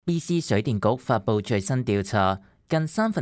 BC 水電局發布最新調查，近2/3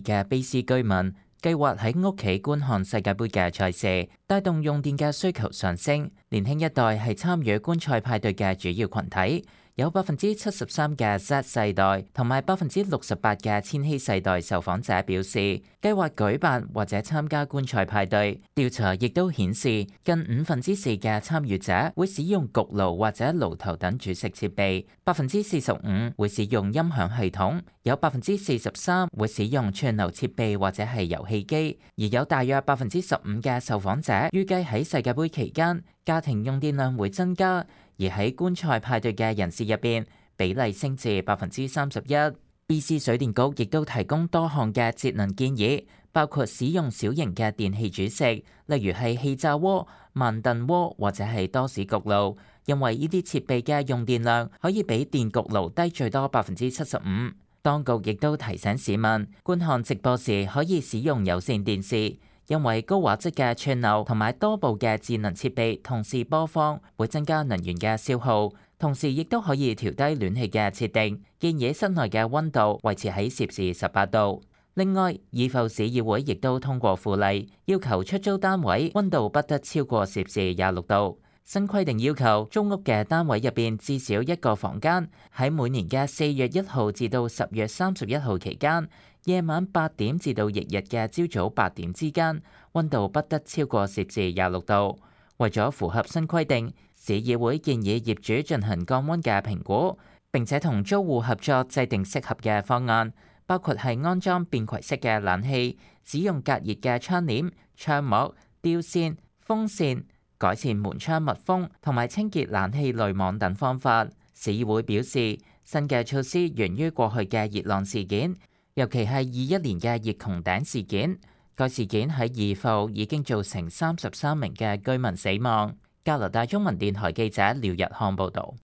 嘅卑詩居民計劃喺屋企觀看世界盃嘅賽事，帶動用電嘅需求上升。年輕一代係參與觀賽派對嘅主要群體，有73%嘅 Z 世代同埋68%嘅千禧世代受訪者表示計劃舉辦或者參加觀賽派對。調查亦都顯示，近4/5嘅參與者會使用焗爐或者爐頭等煮食設備，45%會使用音響系統，有43%會使用串流設備或者係遊戲機，而有大約15%嘅受訪者預計喺世界盃期間家庭用電量會增加。而喺觀賽派對嘅人士入邊，比例升至31%。BC 水電局亦都提供多項嘅節能建議，包括使用小型嘅電器煮食，例如係氣炸鍋、慢燉鍋或者係多士焗爐，因為呢啲設備嘅用電量可以比電焗爐低最多75%。當局亦都提醒市民，觀看直播時可以使用有線電視。因為高畫質嘅串流同埋多部嘅智能設備同時播放，會增加能源嘅消耗，同時亦都可以調低暖氣嘅設定，建議室內嘅溫度維持喺攝氏18度。另外，怡浮市議會亦都通過附例，要求出租單位溫度不得超過攝氏26度。新規定要求租屋嘅單位入邊至少一個房間，喺每年嘅4月1號至到10月31號期間，夜晚8點至到翌日嘅朝早8點之間，溫度不得超過攝氏26度。為咗符合新規定，市議會建議業主進行降溫嘅評估，並且同租戶合作制定適合嘅方案，包括係安裝便攜式嘅冷氣、使用隔熱嘅窗簾、窗膜、吊扇、風扇、改善門窗密封同埋清潔冷氣濾網等方法。市議會表示，新嘅措施源於過去嘅熱浪事件，尤其係21年嘅熱穹頂事件。該事件喺怡浮已經造成33名嘅居民死亡。加拿大中文電台記者廖日漢報導。